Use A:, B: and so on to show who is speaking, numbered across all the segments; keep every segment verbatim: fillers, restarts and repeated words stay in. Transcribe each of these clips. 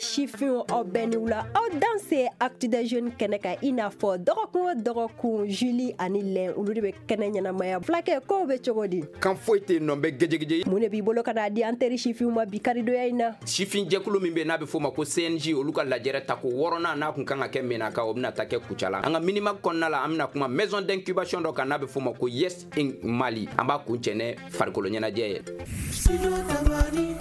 A: Sifinw, aw bɛɛ ni wula, aw danse Actu des Jeunes kɛnɛ kan. I n'a fɔ dɔgɔkun o dɔgɔkun, Julie ani Lɛn, olu de bɛ kɛnɛ ɲɛnamaya. Fulakɛ, kow bɛ cogo di?
B: Kan foyi tɛ yen nɔ, n bɛ gɛjɛgɛjɛ.
A: Mun de b'i bolo ka n'a di an teri sifinw ma bi karidonya in na?
B: Sifin jɛkulu min bɛ, n'a bɛ f'o ma ko C N J, olu ka lajɛrɛ tako wɔɔrɔnan, n'a kun kan ka kɛ Menaka, o bɛna taa kɛ Kucala. An ka Minimag kɔnɔna la, an bɛna kuma maison d'incubation dɔ kan, n'a bɛ f'o ma ko Yes in Mali. An b'a kun cɛ ne farikolo ɲɛnajɛ ye.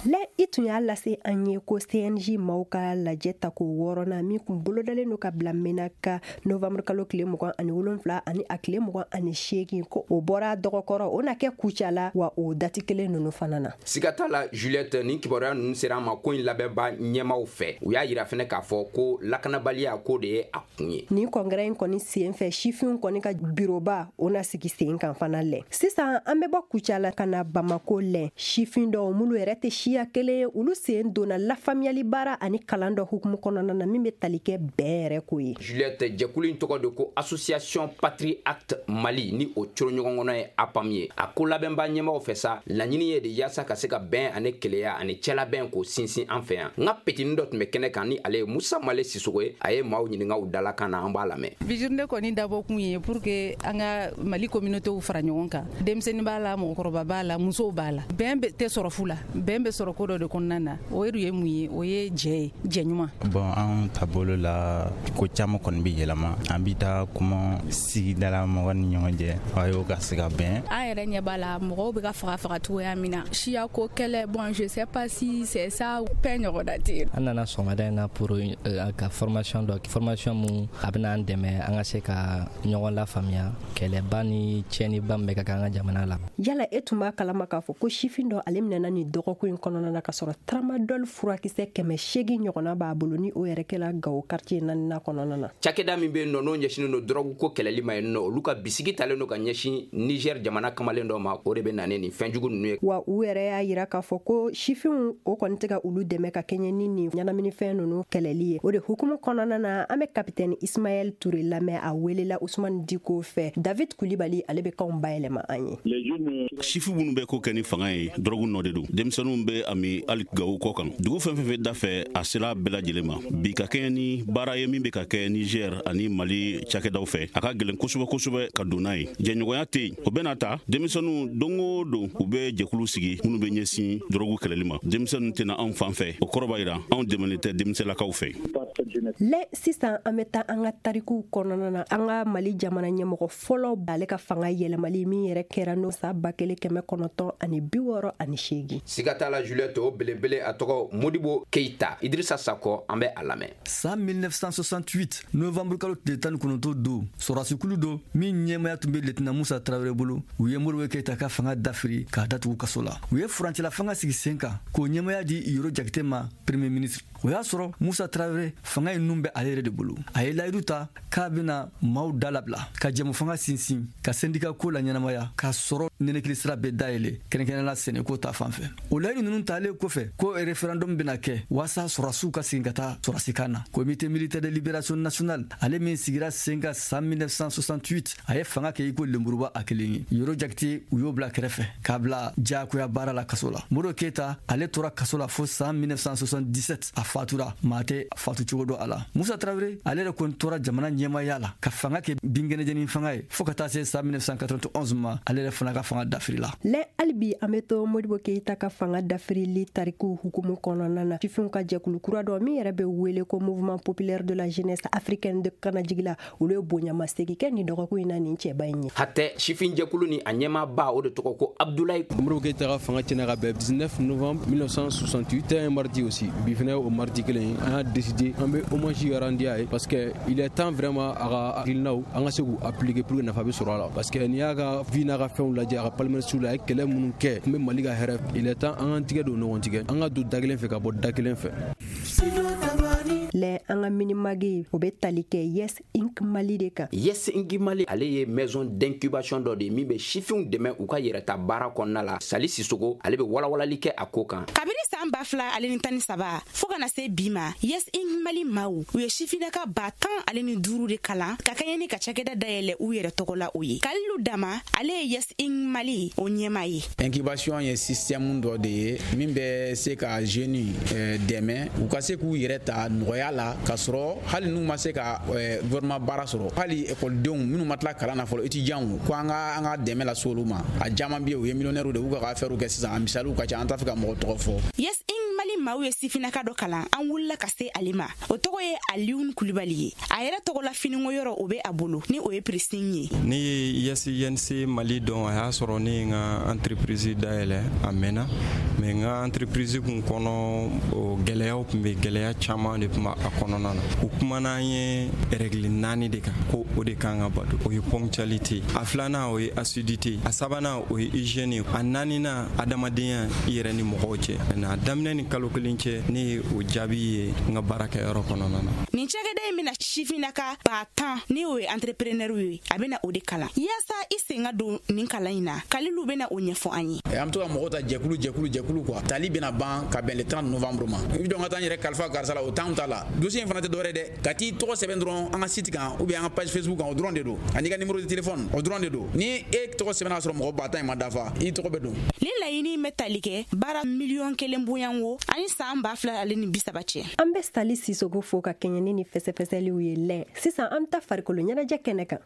A: Lɛ, i tun y'a lase an ye ko C N J maaw ka lajɛ tako wɔɔrɔnan min kun bolodalen don ka bila Menaka novembre kalo tile mugan ani wolonfila ani a tile mugan ani seegin, ko o bɔra dɔgɔkɔrɔ, o na kɛ Kucala wa, o date kelen ninnu fana na.
B: Siga t'a la, Juliette, nin kibaruya ninnu sera an ma ko in labɛnba ɲɛmaw fɛ. U y'a yira fɛnɛ k'a fɔ ko lakanabaliya ko de ye a kun ye.
A: Nin congrès in kɔni sen fɛ, sifinw kɔni ka biroba, o na sigi sen kan fana. Lɛ, sisan an bɛ bɔ Kucala ka na Bamako. Lɛ, sifin dɔw minnu yɛrɛ tɛ siya kelen ye, olu sen donna lafaamuyali baara ani kalan dɔ hukumu kɔnɔna na min bɛ tali kɛ bɛn yɛrɛ ko ye.
B: Juliette, jɛkulu in tɔgɔ de ko Association Patrie Acte Mali, ni o coro ɲɔgɔn kɔnɔ ye APAM ye. A ko labɛnba ɲɛmaw fɛ sa, laɲini ye de yaasa ka se ka bɛn ani keleya ani cɛlabɛn k'o sinsin an fɛ yan. N ka petini dɔ tun bɛ kɛnɛ kan, ni ale ye Musa Male Sisogo ye. A ye maaw ɲininka u dalakan na, an b'a lamɛn.
C: Bi journée kɔni dabɔ kun ye pour que an ka Mali communauté fara ɲɔgɔn kan. Denmisɛnnin b'a la, mɔgɔkɔrɔba b'a la, musow b'a la. Bɛn tɛ sɔrɔ fu la, bɛn bɛ sɔrɔ ko dɔ de kɔnɔna na. O ye mun ye? O ye jɛ ye, jɛ ɲuman.
D: Bon, an taabolo la, ko caman kɔni bɛ yɛlɛma. An bɛ taa kuma sigidala mɔgɔ ni ɲɔgɔn cɛ, a y'o ka se ka bɛn.
E: An yɛrɛ ɲɛ b'a la, mɔgɔw bɛ ka faga faga cogoya min na, siya ko kɛlɛ. Bon, je sais pas si c'est ça, paix ɲɔgɔnna tɛ yen.
F: An nana sɔgɔmada in na pour ka formation dɔ, formation mun a bɛna an dɛmɛ an ka se ka ɲɔgɔn lafaamuya, kɛlɛba ni tiɲɛniba min bɛ ka kɛ an ka jamana la.
A: Yala e tun b'a kalama k'a fɔ ko sifin dɔ, ale minɛna nin dɔgɔkun in kɔnɔna na ka sɔrɔ tramadol furakisɛ kɛmɛ seegin ɲɔgɔnna b'a bolo, ni o yɛrɛ kɛla Gawo quartier naaninan kɔnɔna na?
B: Cakɛda min bɛ yen nɔ, n'o ɲɛsinnen don dɔrɔgu ko kɛlɛli ma yen nɔ, olu ka bisigi talen don ka ɲɛsin Niger jamana kamalen dɔ ma. O de bɛ na ni nin fɛnjugu ninnu ye.
A: Wa u yɛrɛ y'a yira k'a fɔ ko sifinw, o kɔni tɛ ka olu dɛmɛ ka kɛɲɛ ni nin ɲɛnaminifɛn ninnu kɛlɛli ye. O de hukumu kɔnɔna na, an bɛ capitaine Ismaël Touré lamɛn. A welela Usumani Diko fɛ. David Kulibali, ale bɛ kanw bayɛlɛma an ye.
G: Sifu minnu bɛ ko kɛ ni fanga ye, dɔrɔgu nɔ de don. Denmisɛnninw bɛ a min hali Gawo kɔ kan, dugu fɛn fɛn fɛ da fɛ, a sera bɛɛ lajɛlen ma bi. Ka kɛɲɛ ni baara ye min bɛ ka kɛ Niger ani Mali cakɛdaw fɛ, a ka gɛlɛn kosɛbɛ kosɛbɛ ka don n'a ye. Jɛɲɔgɔnya tɛ yen. O bɛna ta denmisɛnninw, don o don u bɛ jɛkulu sigi minnu bɛ ɲɛsin dɔrɔgu kɛlɛli ma. Denmisɛnninw tɛna anw fan fɛ, o kɔrɔ b'a jira anw dɛmɛlen tɛ denmisɛnlakaw fɛ.
A: Lɛ, sisan an bɛ taa an ka tarikuw kɔnɔna na. An ka Mali jamana ɲɛmɔgɔ fɔlɔ, ale ka fanga yɛlɛmali min yɛrɛ kɛra n'o san ba kelen kɛmɛ kɔnɔntɔn ani bi wɔɔrɔ ani seegin.
B: Siga t'a la, Juliette, o belebele, a tɔgɔ Modibo Keyita. Idirisa Sakɔ, an bɛ a lamɛn.
H: San mille neuf cent soixante-huit, novembre kalo tile tan ni kɔnɔntɔn don, sɔrɔdasikulu dɔ min ɲɛmaya tun bɛ lieutenant Musa Tarawele bolo, u ye Modibo Keyita ka fanga dafiri k'a datugu kaso la. U ye furancɛla fanga sigi sen kan k'o ɲɛmaya di Yoro Jakite ma, premier ministre. O y'a sɔrɔ Musa Tarawele, fanga in nun bɛ ale yɛrɛ de bolo. A ye layidu ta k'a bɛna maaw da labila, ka jɛmu fanga sinsin, ka syndicat ko la ɲɛnamaya, k'a sɔrɔ nɛnɛkili sira bɛɛ dayɛlɛ, kɛrɛnkɛrɛnnenya sɛnɛko ta fan fɛ. O layidu ninnu talen kɔfɛ, ko référendum bɛna kɛ waasa sɔrɔdasiw ka segin ka taa sɔrɔdasikan na. Comité militaire de libération nationale, ale min sigira sen kan san mille neuf cent soixante-huit, a ye fanga kɛ i ko lenburuba a kelen ye. Yoro Jakite, u y'o bila kɛrɛfɛ k'a bila diyagoya baara la kaso la. Modibo Keyita, ale tora kaso la fo san mille neuf cent soixante-dix-sept, a fatura, maa tɛ fatu cogo dɔ a la. Musa Tarawele, ale yɛrɛ kɔni tora jamana ɲɛmaya la ka fanga kɛ binkɛnɛjɛni fanga ye fɔɔ ka taa se san mille neuf cent quatre-vingt-onze ma, ale yɛrɛ fana ka fanga dafiri la.
A: Lɛ, hali bi an bɛ to Modibo Keyita ka fanga dafirili tarikuw hukumu kɔnɔna na. Sifinw ka jɛkulu kura dɔ min yɛrɛ bɛ wele ko Mouvement populaire de la jeunesse africaine de Kanajigila, olu ye bonyamasegin kɛ nin dɔgɔkun in na nin cɛba in ye.
B: Hatɛ, sifin jɛkulu ni a ɲɛmaaba, o de tɔgɔ ko Abdulayi.
I: Modibo Keyita ka fanga tiɲɛna ka bɛn dix-neuf novembre mille neuf cent soixante-huit, c'était un mardi aussi. Bi fɛnɛ, o mardi kelen, an y'a décidé an bɛ hommage rendu a ye, parce que il est temps vraiment a ka hakilinaw, an ka se k'u appliquer pour que nafa bɛ sɔrɔ a la, parce que n'i y'a ka vie n'a ka fɛnw lajɛ, a ka palmarès la, a ye kɛlɛ minnu kɛ kun bɛ Mali ka hɛrɛ. Il est temps an k'an tigɛ don ɲɔgɔn tigɛ, an ka don da kelen fɛ ka bɔ da kelen fɛ.
A: Lɛ, an ka Minimag, o bɛ tali kɛ Yes Inc Mali de kan.
B: Yes Inc Mali, ale ye maison d'incubation dɔ de ye min bɛ sifinw dɛmɛ u ka yɛrɛta baara kɔnɔna la. Sali Sisogo, ale bɛ walawalali kɛ a ko kan.
J: Kabini san san ba fila ale ni tan ni saba fo ka na se bi ma, Yes Inc Mali maaw u ye sifinnaka ba tan ale ni duuru de kalan ka kɛɲɛ ni ka cakɛda dayɛlɛ u yɛrɛ tɔgɔ la. O ye Kalilu Dama, ale ye Yes Inc Mali o ɲɛma ye.
K: Incubation ye système dɔ de ye min bɛ se ka jeunes dɛmɛ u ka se k'u yɛrɛ ta nɔgɔya la, k'a sɔrɔ hali n'u ma se ka gouvernement baara sɔrɔ, hali ekɔlidenw minnu ma tila kalan na fɔlɔ, étudiants, ko an ka an ka dɛmɛ lase olu ma. A caman bɛ yen, u ye millionnaires de, u ka affaires kɛ sisan. A misaliw ka ca, an t'a fɛ ka mɔgɔ tɔgɔ fɔ.
J: Yes Inc Mali maaw ye sifinnaka dɔ kalan, an wulila ka se ale ma. O tɔgɔ ye Alioune Kulibali ye. A yɛrɛ tɔgɔ la finiko yɔrɔ o bɛ a bolo, ni o ye Pressing ye.
L: Ne ye Yes I N C Mali dɔn, a y'a sɔrɔ ne ye n ka entreprise dayɛlɛ a mɛnna, mais n ka entreprise kun kɔnɔ, o gɛlɛyaw tun bɛ, gɛlɛya caman de tun b'a kɔnɔna na. U kumana an ye règle naani de kan ko o de kan ka bato. O ye ponctualité, a filanan o ye assiduité, a sabanan o ye hygiène, a naaninan adamadenya i yɛrɛ ni mɔgɔw cɛ. A daminɛ ni kalo kelen cɛ, ne ye o jaabi ye n ka baarakɛyɔrɔ kɔnɔna na.
J: Nin cakɛda in bɛna sifinnaka ba tan, ni o ye entrepreneur ye, a bɛna o de kalan. Yaasa i sen ka don nin kalan in na, Kalilu bɛna o ɲɛfɔ an ye.
K: An bɛ to ka mɔgɔw ta jɛkulu jɛkulu jɛkulu quoi. Tali bɛna ban ka bɛn le trente novembre ma. I bɛ dɔn ka taa n yɛrɛ kalifa karisa la, o temps t'a la. Dossier in fana tɛ dɔwɛrɛ dɛ, ka t'i tɔgɔ sɛbɛn dɔrɔn an ka site kan ou bien an ka page Facebook kan, o dɔrɔn de don, ani ka numéro de téléphone, o dɔrɔn de don. Ni e tɔgɔ sɛbɛnna ka sɔrɔ mɔgɔ ba tan in ma dafa, i tɔgɔ bɛ don.
J: Nin laɲini bɛ tali kɛ baara miliyɔn kelen bonyanko ani san ba fila ale ni bi saba cɛ.
A: An bɛ Sali Sisogo fo ka kɛɲɛ ni fɛsɛfɛsɛliw ye lɛ. Sisan an bɛ taa farikolo ɲɛnajɛ kɛnɛ kan.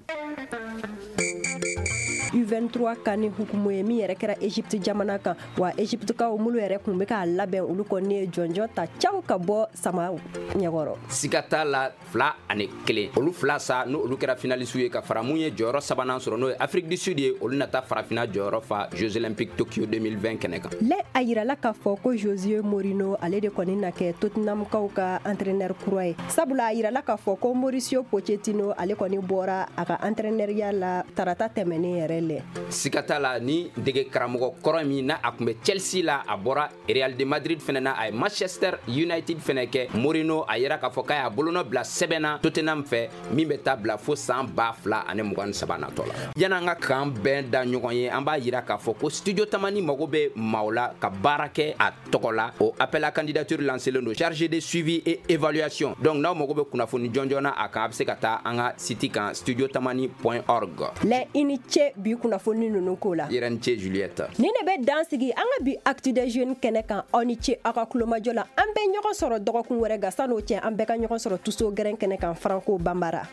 A: U vingt-trois kan ni hukumu ye min yɛrɛ kɛra Egypte jamana kan wa, Egyptekaw minnu yɛrɛ tun bɛ k'a labɛn, olu kɔni ye jɔnjɔn ta caw ka bɔ sama ɲɛkɔrɔ.
B: Siga t'a la, fila ani kelen, olu fila sa, n'o olu kɛra finaliste ye ka fara mun ye jɔyɔrɔ sabanan sɔrɔ, n'o ye Afrique du Sud ye, olu nata farafinna jɔyɔrɔ fa Jeux Olympiques Tokyo deux mille vingt kɛnɛ kan.
A: Lɛ, a yirala k'a fɔ ko José Mourinho, ale de kɔni na kɛ Tottenhamkaw ka entraîneur kura ye, sabula a yirala k'a fɔ ko Mauricio Pochettino, ale kɔni bɔra a ka entraîneurya la tarata tɛmɛnen yɛrɛ lɛ.
B: Siga t'a la, ni dege karamɔgɔ kɔrɔ min n'a a tun bɛ Chelsea la, a bɔra Real de Madrid fɛnɛ na, a ye Manchester United fɛnɛ kɛ, Mourinho a yira k'a fɔ k'a y'a bolonɔ bila sɛbɛn na Tottenham fɛ min bɛ taa bila fo san ba fila ani mugan ni saba natɔ la. Yan'an ka kan bɛn da ɲɔgɔn ye, an b'a yira k'a fɔ ko Studio Tamani mago bɛ maaw la ka baara kɛ a tɔgɔ la. O appel à candidature lancelen don, chargé de suivi et évaluation. Donc n'aw mago bɛ kunnafoni jɔnjɔn na a kan, a bɛ se ka taa an ka site kan, studiotamani point org.
A: Lɛ, i ni ce bi kunnafoni ninnu ko la.
B: Yɛrɛ ni ce, Juliette.
A: Ni ne bɛ dan sigi an ka bi Actu des Jeunes kɛnɛ kan. Aw ni ce aw ka kulomajɔ la. An bɛ ɲɔgɔn sɔrɔ dɔgɔkun wɛrɛ. Nka san'o cɛ, an bɛɛ ka ɲɔgɔn sɔrɔ tuso gɛrɛn kɛnɛ kan, Franco Banbara.